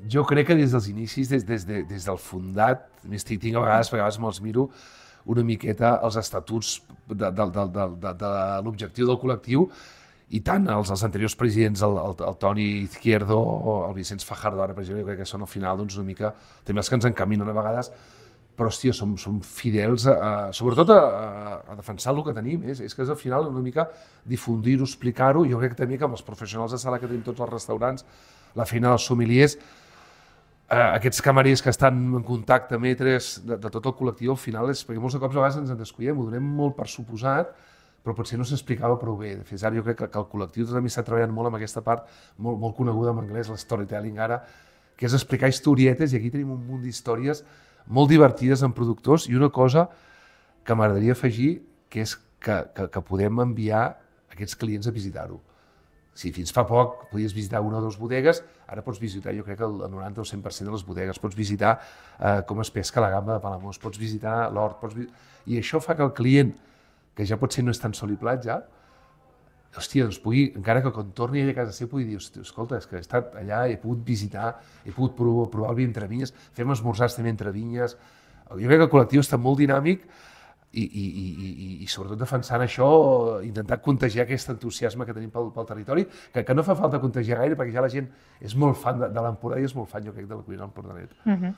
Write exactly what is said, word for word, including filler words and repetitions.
Jo crec que des dels inicis, des, des, de, des del fundat, més tinc, tinc a vegades, a vegades me'ls miro una miqueta els estatuts de, de, de, de, de, de l'objectiu del col·lectiu, i tant els, els anteriors presidents, el, el, el Toni Izquierdo o el Vicenç Fajardo, ara per exemple, jo crec que són al final doncs, una mica, també els que ens encaminen a vegades, però hòstia, som, som fidels, a, a, sobretot a, a, a defensar el que tenim, és, és que és al final una mica difundir-ho, explicar-ho. Jo crec que també que amb els professionals de sala que tenim tots els restaurants, la feina dels sommeliers, eh, aquests camarers que estan en contacte, metres, de, de tot el col·lectiu, al final és perquè molts de cops a vegades ens en descuidem, ho donem molt per suposat, però potser no s'explicava prou bé. De fet, ara jo crec que, que el col·lectiu també està treballant molt amb aquesta part, molt, molt coneguda en anglès, l'storytelling ara, que és explicar historietes, i aquí tenim un munt d'històries molt divertides en productors, i una cosa que m'agradaria afegir, que és que, que, que podem enviar aquests clients a visitar-ho. Si fins fa poc podies visitar una o dues bodegues, ara pots visitar, jo crec que el noranta o cent per cent de les bodegues, pots visitar eh, com es pesca la gamba de Palamós, pots visitar l'hort, pots visitar... i això fa que el client, que ja potser no és tan sol i platja, hòstia, doncs pugui, encara que quan torni a casa seva, pugui dir, escolta, és que he estat allà, he pogut visitar, he pogut provar, provar el vi entre vinyes, fem esmorzars també entre vinyes. Jo crec que el col·lectiu està molt dinàmic i, i, i, i, i sobretot defensant això, intentar contagiar aquest entusiasme que tenim pel, pel territori, que, que no fa falta contagiar gaire, perquè ja la gent és molt fan de, de l'Empordà i és molt fan, jo crec, de la cuina empordaneta. Uh-huh.